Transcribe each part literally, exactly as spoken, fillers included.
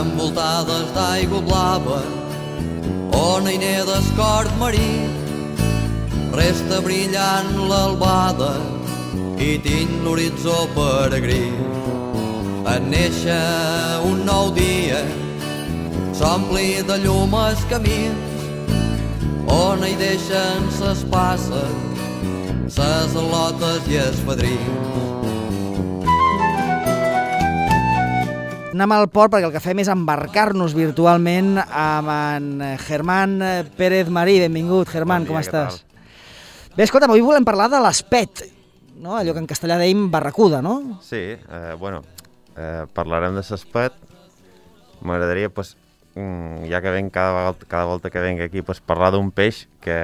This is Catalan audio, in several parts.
envoltades d'aigua blava, on hi neda d'escort marí, resta brillant l'albada i tinc l'horitzó peregrí. En néixer un nou dia s'ompli de llum els camins, on hi deixen ses passes, ses al·lotes i els fadrins. Anem al port perquè el que fem és embarcar-nos virtualment amb en Germán Pérez Marí. Benvingut, Germán, com estàs? Bé, escolta, avui volem parlar de l'espet, no? Allò que en castellà dèiem barracuda, no? Sí, eh, bueno, eh, parlarem de l'espet. M'agradaria, pues, ja que venc cada, vegada, cada volta que venc aquí, pues, parlar d'un peix que,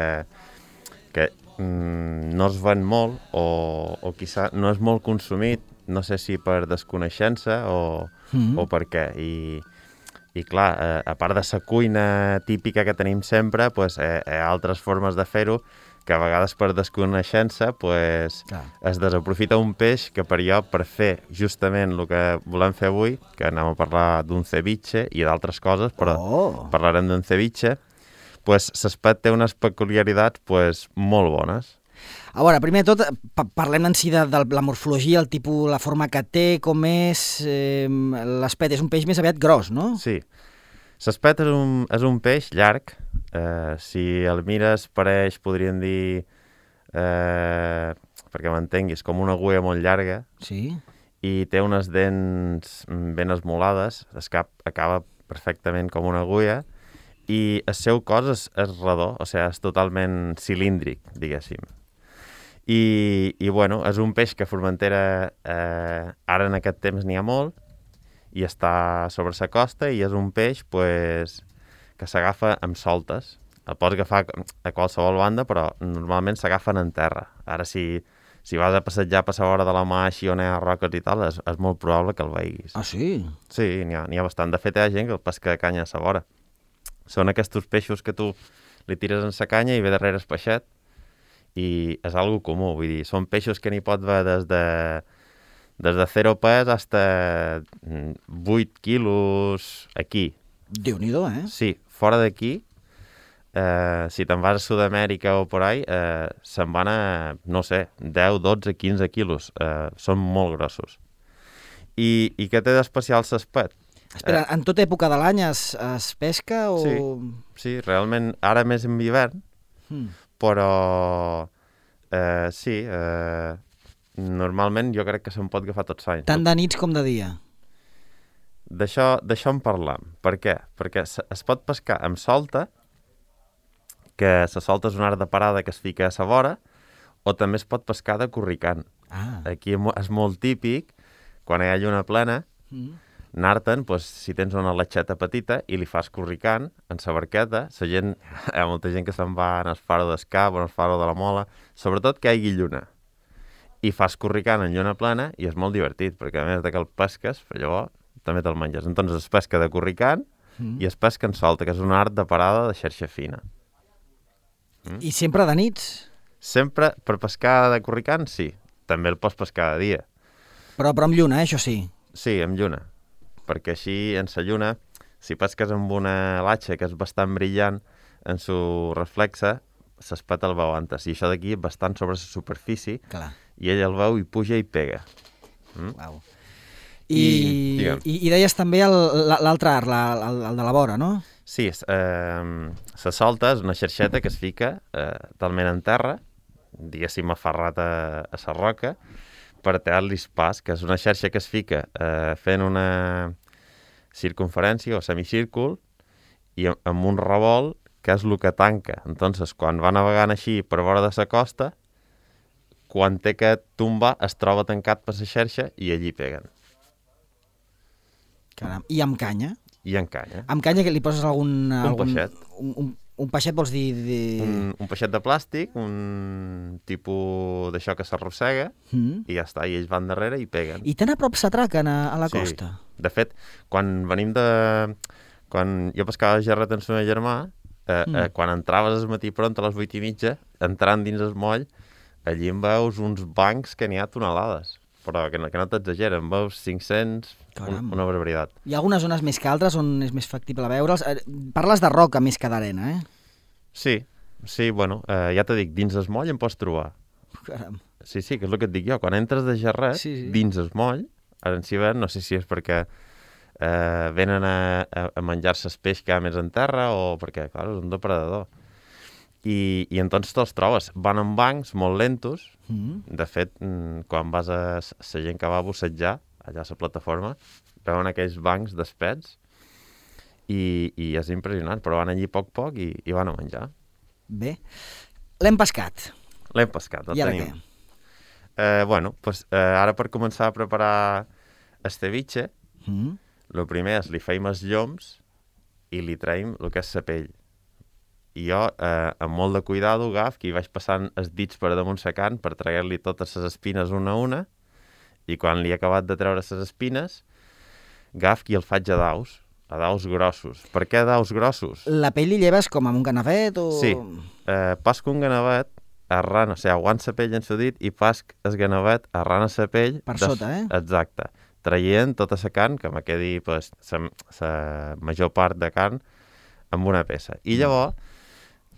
que mm, no es ven molt o, o quizà no és molt consumit, no sé si per desconeixença o, mm-hmm. o per què. I, i clar, eh, a part de la cuina típica que tenim sempre, pues, eh, hi ha altres formes de fer-ho que a vegades per desconeixença pues, es desaprofita un peix que per jo, per fer justament el que volem fer avui, que anem a parlar d'un ceviche i d'altres coses, però oh. parlarem d'un ceviche, pues, l'espet té unes peculiaritats pues, molt bones. A veure, primer de tot, parlem en si de, de la morfologia, el tipus, la forma que té, com és... Eh, l'espet és un peix més aviat gros, no? Sí. L'espet és un, és un peix llarg. Eh, si el mires, pareix, podríem dir, eh, perquè m'entenguis, com una agulla molt llarga. Sí. I té unes dents ben esmolades. El cap acaba perfectament com una agulla. I el seu cos és, és redó, o sigui, és totalment cilíndric, diguéssim. I, i bueno, és un peix que a Formentera eh, ara en aquest temps n'hi ha molt i està sobre la costa i és un peix pues, que s'agafa amb soltes. El pots agafar a qualsevol banda, però normalment s'agafen en terra. Ara si, si vas a passejar per la vora de la mà així on hi ha roques i tal, és, és molt probable que el veiguis. Ah, sí? Sí, n'hi ha, n'hi ha bastant. De fet, hi ha gent que el pesca de canya a la vora. Són aquests peixos que tu li tires en la canya i ve darrere el peixet, i és algo comú, vull dir, són peixos que n'hi pot haver des de, des de zero pes fins vuit quilos aquí. Déu-n'hi-do, eh? Sí, fora d'aquí, eh, si te'n vas a Sud-amèrica o por ahí, eh, se'n van a, no sé, deu, dotze, quinze quilos. Eh, són molt grossos. I, i què té d'especial l'espet? Espera, eh, en tota època de l'any es, es pesca o...? Sí, sí, realment, ara més en hivern, hmm. però eh, sí, eh, normalment jo crec que se'n pot agafar tots anys. Tant de nits com de dia? D'això, d'això en parlam. Per què? Perquè es pot pescar amb solta, que la solta és un art de parada que es fica a la vora, o també es pot pescar de corricant. Ah. Aquí és molt típic, quan hi ha lluna plena, mm. anar-te'n, pues, si tens una latxeta petita i li fas corricant en la barqueta, la gent, hi ha molta gent que se'n va en el faro d'Escap o en el faro de la Mola, sobretot que hi hagi lluna. I fas corricant en lluna plena i és molt divertit, perquè a més de que el pesques, llavors també te'l menges. Entonces es pesca de corricant mm. i es pesca en solta, que és un art de parada de xarxa fina. Mm? I sempre de nits? Sempre, per pescar de corricant, sí. També el pots pescar de dia. Però, però amb lluna, eh, això sí? Sí, amb lluna. Perquè així, en la lluna, si pesques amb una latxa que és bastant brillant en su reflexe, l'espet el veu antes. I això d'aquí és bastant sobre la superfície. Clar. I ell el veu i puja i pega. Mm? Wow. I, I, i, i deies també l'altre art, la, el, el de la vora, no? Sí, eh, la solta és una xarxeta que es fica eh, talment en terra, diguéssim aferrat a, a la roca, per tallar-li pas, que és una xarxa que es fica eh, fent una circunferència o semicírcul i amb un revolt que és el que tanca. Entonces, quan va navegant així per vora de la costa, quan té que tombar es troba tancat per la xarxa i allí peguen. Caram. I amb canya? I amb canya. Amb canya que li poses algun... Un algun, peixet. Un, un, un peixet vols dir... De... Un, un peixet de plàstic, un tipus d'això que s'arrossega, mm. i ja està, i ells van darrere i peguen. I tan a prop s'atraquen a, a la sí. costa? De fet, quan venim de... Quan jo pescava a Gerret amb el meu germà, eh, mm. eh, quan entraves al matí pront a les vuit i mitja, entrant dins el moll, allí en veus uns bancs que n'hi ha tonelades. però que no, que no t'exageren, veus cinc-cents, un, una barbaritat. Hi ha algunes zones més que altres on és més factible veure'ls. Parles de roca més que d'arena, eh? Sí, sí, bueno, eh, ja t'ho dic, dins el moll en pots trobar. Caram. Sí, sí, que és el que et dic jo, quan entres de gerret, sí, sí. dins el moll, ara en Cibert, no sé si és perquè eh, venen a, a, a menjar-se el peix que hi ha més en terra o perquè, clar, és un depredador. I, i entonces te'ls trobes. Van en bancs molt lentos. Mm-hmm. De fet, quan vas a la gent que va a bussejar, allà a la plataforma, veuen aquells bancs d'espets i, i és impressionant, però van allí poc poc i, i van a menjar. Bé. L'hem pescat. L'hem pescat, el I ara tenim. Què? Eh, bueno, pues, eh, ara per començar a preparar el ceviche, mm-hmm. el primer és li feim els lloms i li traiem el que és la pell. I jo, eh, amb molt de cuidado, agaf, que hi vaig passant els dits per damunt la carn per treure-li totes les espines una a una, i quan li he acabat de treure les espines, agaf i el faig a daus, a daus grossos. Per què daus grossos? La pell li lleves com amb un ganavet o...? Sí, eh, pasco un ganavet, arran, o sigui, aguant la pell en el dit i pasc el ganavet arran a la pell... Per de... sota, eh? Exacte. Traient tota la carn, que me quedi pues, la major part de carn amb una peça. I llavors,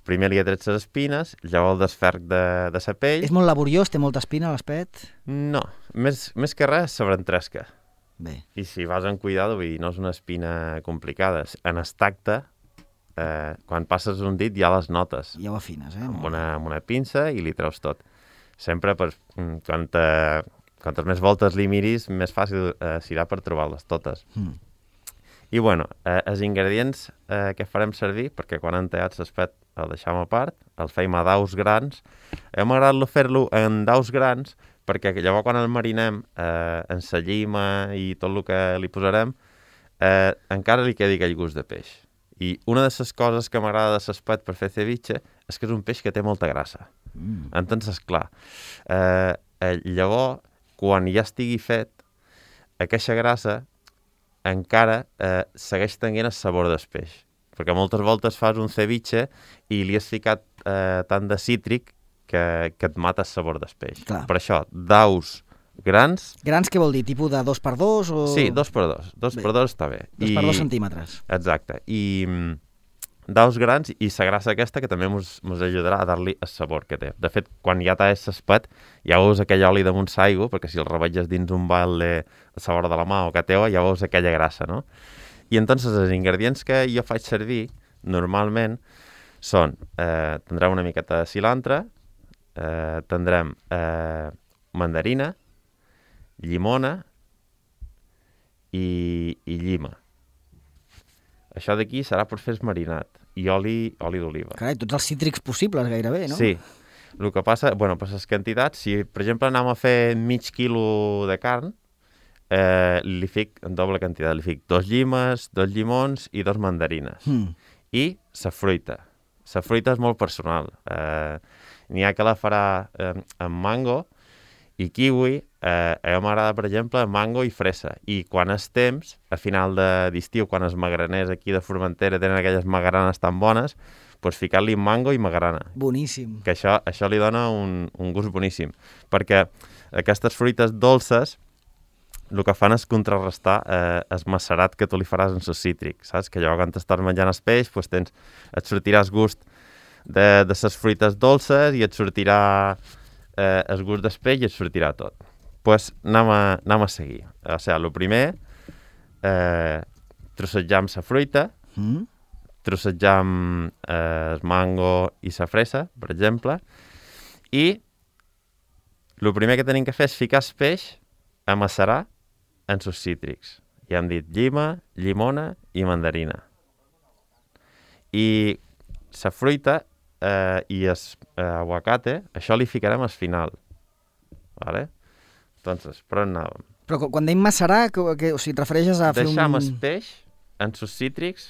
primer li he tret les espines, llavors el desferc de, de la pell... És molt laboriós? Té molta espina l'espet? No, més, més que res s'abrentresca. Bé. I si vas amb cuidado, vull dir, no és una espina complicada. En el tacte, eh, quan passes un dit ja les notes. Ja ho afines, eh? Amb una, amb una pinça i li treus tot. Sempre, pues, quan te, quantes més voltes li miris, més fàcil eh, serà per trobar-les totes. Mm. I, bueno, eh, els ingredients eh, que farem servir, perquè quan han tallat l'espet el deixem a part, el feim a daus grans. Hem agradat fer-lo en daus grans perquè llavors quan el marinem eh, en la llima i tot el que li posarem, eh, encara li quedi aquell gust de peix. I una de les coses que m'agrada de l'espet per fer ceviche és que és un peix que té molta grassa. Mm. Entonces, clar, eh, eh, llavors, quan ja estigui fet, aquesta grassa encara eh, segueix tenint el sabor del peix. Perquè moltes voltes fas un ceviche i li has ficat eh, tant de cítric que, que et mata el sabor del peix. Clar. Per això, daus grans... Grans què vol dir? Tipus de dos per dos? O... Sí, dos per dos. Dos bé. per dos està bé. Dos I... per dos centímetres. Exacte. I mm, daus grans i la grassa aquesta que també ens ajudarà a dar-li el sabor que té. De fet, quan ja t'has l'espet, ja veus aquell oli damunt l'aigua, perquè si el revetges dins un balde a la vora de la mà o que teua, ja veus aquella grassa, no? I entonces els ingredients que jo faig servir normalment són, eh, tindrem una miqueta de cilantre, eh, tindrem eh, mandarina, llimona i, i llima. Això d'aquí serà per fer el marinat i oli, oli d'oliva. Carai, tots els cítrics possibles gairebé, no? Sí. El que passa, bueno, per les quantitats, si per exemple anem a fer mig quilo de carn, Eh, li fic en doble quantitat, li fic dos llimes, dos llimons i dos mandarines. Mm. I la fruita. La fruita és molt personal. Eh, N'hi ha que la farà eh, amb mango i kiwi. Eh, a mi m'agrada, per exemple, mango i fresa. I quan és temps, a final d'estiu, quan els magraners aquí de Formentera tenen aquelles magranes tan bones, doncs ficar-li mango i magrana. Boníssim. Que això, això li dona un, un gust boníssim. Perquè aquestes fruites dolces el que fan és contrarrestar eh, el macerat que tu li faràs en el cítric, saps? Que llavors quan t'estàs menjant el peix, doncs tens, et sortiràs gust de, de les fruites dolces i et sortirà eh, el gust del peix i et sortirà tot. Doncs pues, anem, a, anem a seguir. O sigui, el primer, eh, trossejam la fruita, mm. trossejam eh, el mango i la fresa, per exemple, i el primer que tenim que fer és ficar el peix a macerar en sus cítrics. Ja hem dit llima, llimona i mandarina. I la fruita eh, i el eh, aguacate, això li ficarem al final. Vale? Entonces, per on anàvem? Però quan dèiem macerar, que, que, o sigui, et refereixes a fer un... Deixam el peix en sus cítrics,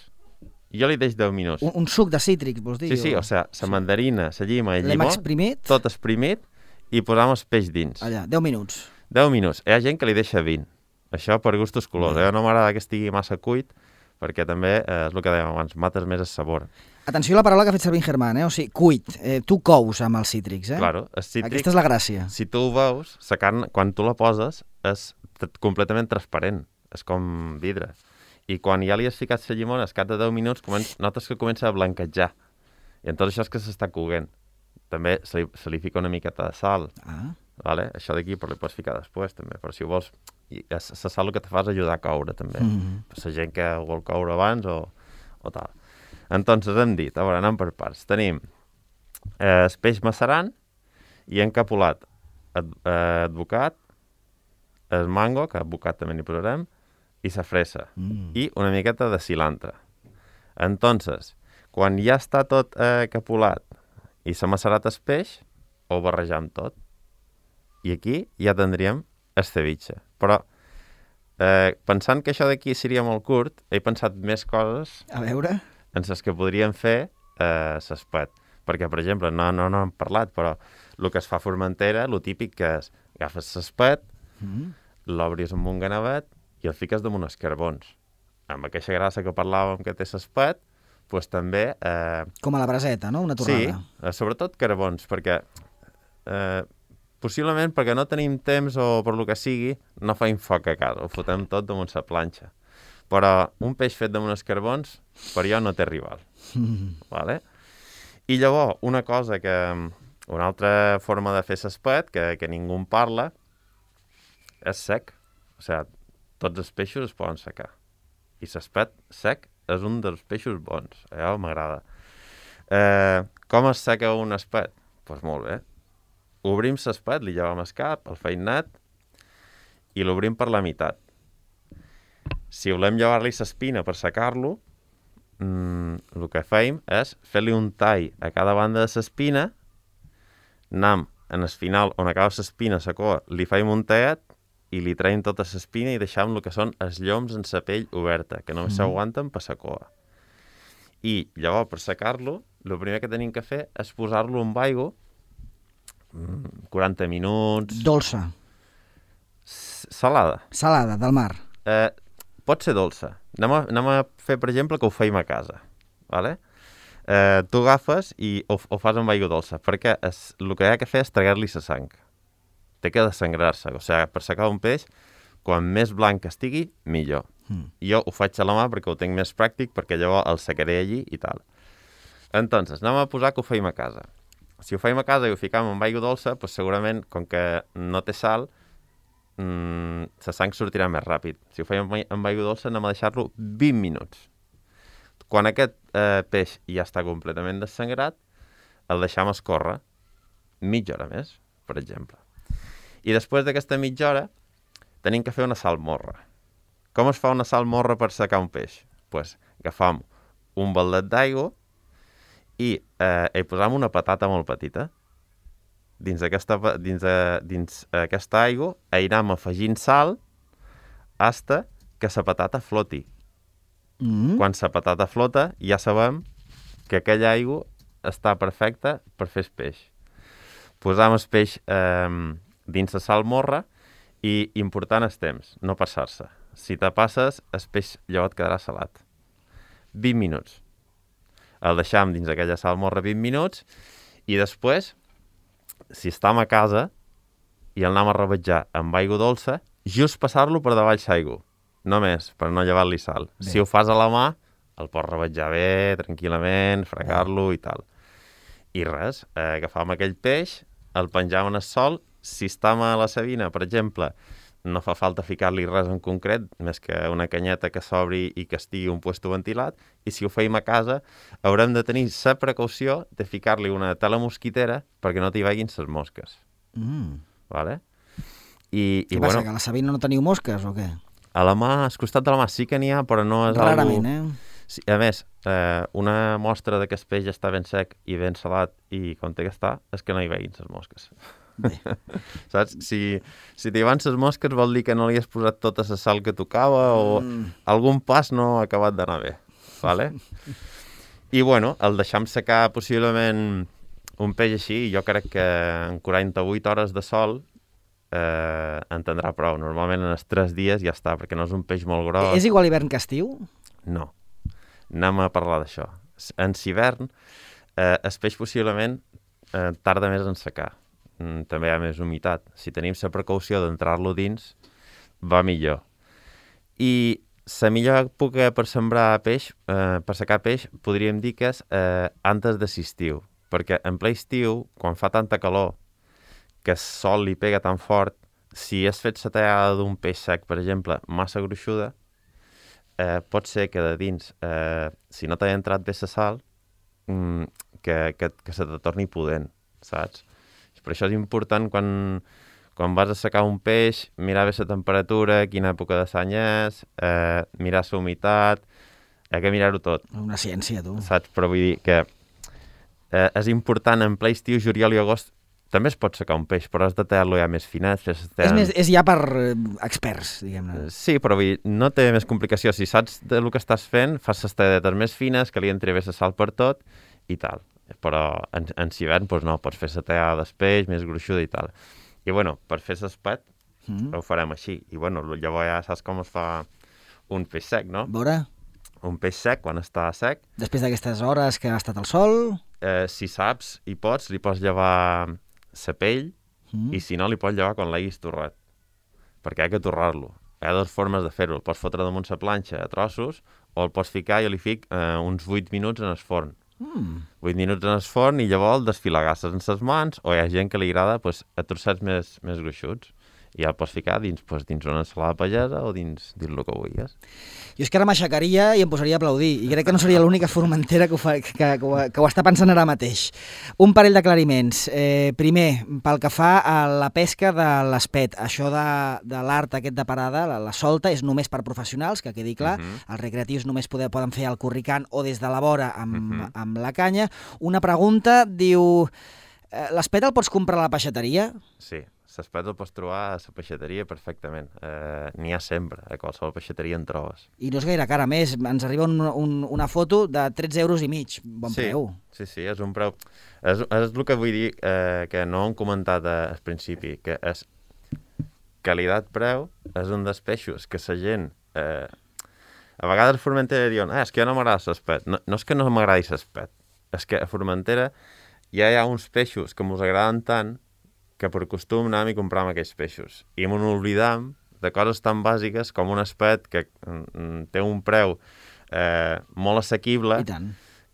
jo li deix deu minuts. Un, un suc de cítrics, vols dir? Sí, sí, o, o sigui, la sí. mandarina, la llima i el llimó, exprimit. Tot exprimit, i posam el peix dins. Allà, deu minuts. deu minuts. Hi ha gent que li deixa vint. Això per gustos colors. Mm. Eh? No m'agrada que estigui massa cuit, perquè també, eh, és el que dèiem abans, mates més el sabor. Atenció a la paraula que ha fet servir en Germán, eh? O sigui, cuit. Eh, tu cous amb els cítrics, eh? Claro, el cítric... Aquesta és la gràcia. Si tu ho veus, la carn, quan tu la poses, és completament transparent, és com vidre. I quan ja li has ficat la llimona, al cap de deu minuts, comença, notes que comença a blanquejar. I en tot això és que s'està coguent. També se li, se li fica una miqueta de sal. Ah. Vale? Això d'aquí però li pots ficar després, també. Però si ho vols, la sal el que te fa és ajudar a coure, també. Mm-hmm. Per la gent que vol coure abans o, o tal. Entonces hem dit, a veure, anem per parts. Tenim eh, el peix macerant i encapulat ad, eh, advocat, el mango, que advocat també n'hi posarem, i la fresa, mm. i una miqueta de cilantre. Entonces, quan ja està tot eh, capulat i s'ha macerat el peix, ho barrejam tot. I aquí ja tindríem el ceviche. Però, eh, pensant que això d'aquí seria molt curt, he pensat més coses a veure en les que podríem fer eh, l'espet. Perquè, per exemple, no, no, no hem parlat, però el que es fa a Formentera, el típic que és agafes l'espet, mm. l'obris amb un ganavet i el fiques damunt els carbons. Amb aquesta grassa que parlàvem que té l'espet, doncs també... Eh... Com a la braseta, no? Una torrada. Sí, eh, sobretot carbons, perquè eh, possiblement perquè no tenim temps o per lo que sigui, no faim foc a casa, ho fotem tot damunt la planxa. Però un peix fet damunt els carbons, per jo no té rival. Mm. Vale? I llavors, una cosa que... Una altra forma de fer l'espet, que, que ningú en parla, és sec. O sigui, tots els peixos es poden secar. I l'espet sec és un dels peixos bons. Allò m'agrada. Eh, com es seca un espet? Doncs pues molt bé. Obrim l'espet, li llevam el cap, el feinat, i l'obrim per la meitat. Si volem llevar-li l'espina per secar-lo, mmm, el que feim és fer-li un tall a cada banda de l'espina, anem en el final on acaba l'espina, la cua, li feim un tallet i li traiem tota l'espina i deixem el que són els lloms en la pell oberta, que només mm. s'aguanten per la cua. I llavors, per secar-lo, el primer que tenim que fer és posar-lo amb aigua, quaranta minuts... Dolça. Salada. Salada, del mar. Eh, pot ser dolça. Anem a, anem a fer, per exemple, que ho feim a casa. Vale? Eh, tu agafes i ho, ho fas amb aigua dolça, perquè es, el que hi ha que fer és tragar-li la sang. Té que desangrar-se. O sigui, per secar un peix, quan més blanc estigui, millor. Mm. Jo ho faig a la mà perquè ho tinc més pràctic, perquè llavors el secaré allí i tal. Entonces, anem a posar que ho feim a casa. Si ho feim a casa i ho ficam amb aigua dolça, doncs segurament, com que no té sal, mmm, la sang sortirà més ràpid. Si ho feim amb aigua dolça, anem a deixar-lo vint minuts. Quan aquest eh, peix ja està completament desangrat, el deixam escórrer mitja hora més, per exemple. I després d'aquesta mitja hora tenim que fer una salmorra. Com es fa una salmorra per secar un peix? Doncs pues, agafam un baldet d'aigua i eh, hi posam una patata molt petita. Dins aquesta, dins, eh, dins aquesta aigua hi anem afegint sal hasta que la patata floti. Mm. Quan la patata flota ja sabem que aquella aigua està perfecta per fer el peix. Posam el peix eh, dins la salmorra i important el temps, no passar-se. Si te passes, el peix llavors et quedarà salat. vint minuts. El deixam dins aquella salmorra vint minuts i després, si estem a casa i el anem a rebatjar amb aigua dolça, just passar-lo per davall l'aigua. Només, per no llevar-li sal. Bé. Si ho fas a la mà, el pots rebatjar bé, tranquil·lament, fregar-lo i tal. I res, eh, agafam aquell peix, el penjam en el sol. Si estem a la Sabina, per exemple, no fa falta ficar-li res en concret, més que una canyeta que s'obri i que estigui un puesto ventilat, i si ho feim a casa, haurem de tenir la precaució de ficar-li una tela mosquitera perquè no t'hi vagin les mosques. Mm. Vale? I, Què i, passa, bueno, que a la Sabina no teniu mosques o què? A la mà, al costat de la mà sí que n'hi ha, però no és Rarament, algú... eh? Sí, a més, eh, una mostra de que el peix està ben sec i ben salat i com té que estar, és que no hi veguin les mosques. Bé. Saps? Si, si t'hi van les mosques vol dir que no li has posat tota la sal que tocava o mm. algun pas no ha acabat d'anar bé. Vale? I bueno, el deixam secar possiblement un peix així, jo crec que en quaranta-vuit hores de sol eh, en tindrà prou. Normalment en els tres dies ja està, perquè no és un peix molt gros. És igual hivern que estiu? No. Anem a parlar d'això. En hivern, eh, el peix possiblement eh, tarda més en secar. Mm, també hi ha més humitat. Si tenim la precaució d'entrar-lo dins, va millor. I la millor època per sembrar peix, eh, per secar peix, podríem dir que és eh, antes de l'estiu, perquè en ple estiu, quan fa tanta calor, que el sol li pega tan fort, si has fet la tallada d'un peix sec, per exemple, massa gruixuda, eh, pot ser que de dins, eh, si no t'ha entrat bé la sal, mm, que, que, que se te torni pudent, saps? Per això és important quan... Quan vas a secar un peix, mirar bé la temperatura, quina època de l'any és, eh, mirar la humitat, hi ha que mirar-ho tot. Una ciència, tu. Saps? Però vull dir que eh, és important en ple estiu, juliol i agost, també es pot secar un peix, però has de tallar-lo ja més finet. Fer és, més, és ja per eh, experts, diguem-ne. Sí, però vull dir, no té més complicació. Si saps del que estàs fent, fas les talladetes més fines, que li entri bé la sal per tot i tal. Però en, en hivern, doncs no, pots fer la tallada del peix més gruixuda i tal. I, bueno, per fer l'espet, mm. ho farem així. I, bueno, llavors ja saps com es fa un peix sec, no? Veure? Un peix sec, quan està sec... Després d'aquestes hores que ha estat al sol... Eh, si saps i pots, li pots llevar la pell mm. i, si no, li pots llevar quan l'haguis torrat. Perquè ha que torrar-lo. Hi ha dues formes de fer-ho. El pots fotre damunt la planxa a trossos o el pots ficar, jo li fic eh, uns vuit minuts en el forn. Mm. vuit minuts en el forn i llavors el desfilagasses en les mans, o hi ha gent que li agrada pues, a trossets més, més gruixuts. I ja el pots ficar dins, pues, dins una ensalada pagesa o dins, dins el que vulguis. Jo és que ara m'aixecaria i em posaria a aplaudir, i crec que no seria l'única formentera que ho, fa, que, que, ho, que ho està pensant ara mateix. Un parell d'aclariments. Eh, primer, pel que fa a la pesca de l'espet, això de, de l'art aquest de parada, la, la solta, és només per professionals, que quedi clar. Uh-huh. Els recreatius només poder, poden fer al corricant o des de la vora amb, uh-huh. amb la canya. Una pregunta, diu... Eh, l'espet el pots comprar a la peixateria? Sí. L'espet el pots trobar a la peixateria perfectament. Eh, N'hi ha sempre, a qualsevol peixateria en trobes. I no és gaire cara, més, ens arriba un, un, una foto de tretze euros i mig, bon sí, preu. Sí, sí, és un preu... És, és el que vull dir, eh, que no hem comentat al principi, que és qualitat-preu, és un dels peixos que la gent... Eh, a vegades a Formentera diuen, ah, és que ja no m'agrada l'espet. No, no és que no m'agradi l'espet, és que a Formentera ja hi ha uns peixos que mos agraden tant que per costum anàvem i compràvem aquells peixos. I m'ho oblidam de coses tan bàsiques com un espet que mm, té un preu eh, molt assequible,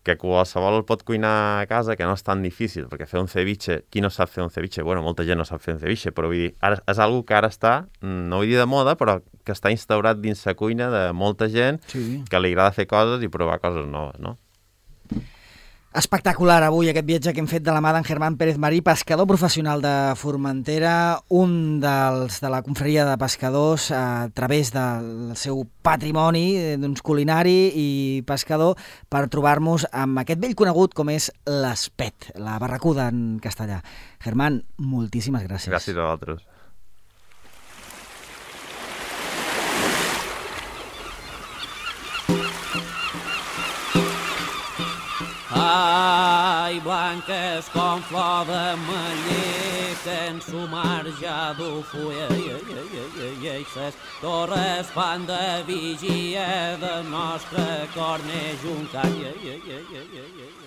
que qualsevol el pot cuinar a casa, que no és tan difícil, perquè fer un ceviche, qui no sap fer un ceviche? Bueno, molta gent no sap fer un ceviche, però vull dir, ara, és algo que ara està, no vull dir de moda, però que està instaurat dins la cuina de molta gent sí. que li agrada fer coses i provar coses noves, no? Espectacular avui aquest viatge que hem fet de la mà d'en Germán Pérez Marí, pescador professional de Formentera, un dels de la confraria de pescadors a través del seu patrimoni doncs, culinari i pescador, per trobar-nos amb aquest vell conegut com és l'espet, la barracuda en castellà. Germán, moltíssimes gràcies. Gràcies a vosaltres. Ai, blanques com flor de meller, que en su mar ja du fulla, i, i, i, i, i, ses torres fan de vigia de nostre cor neix un call, i, i, i, i, i, i.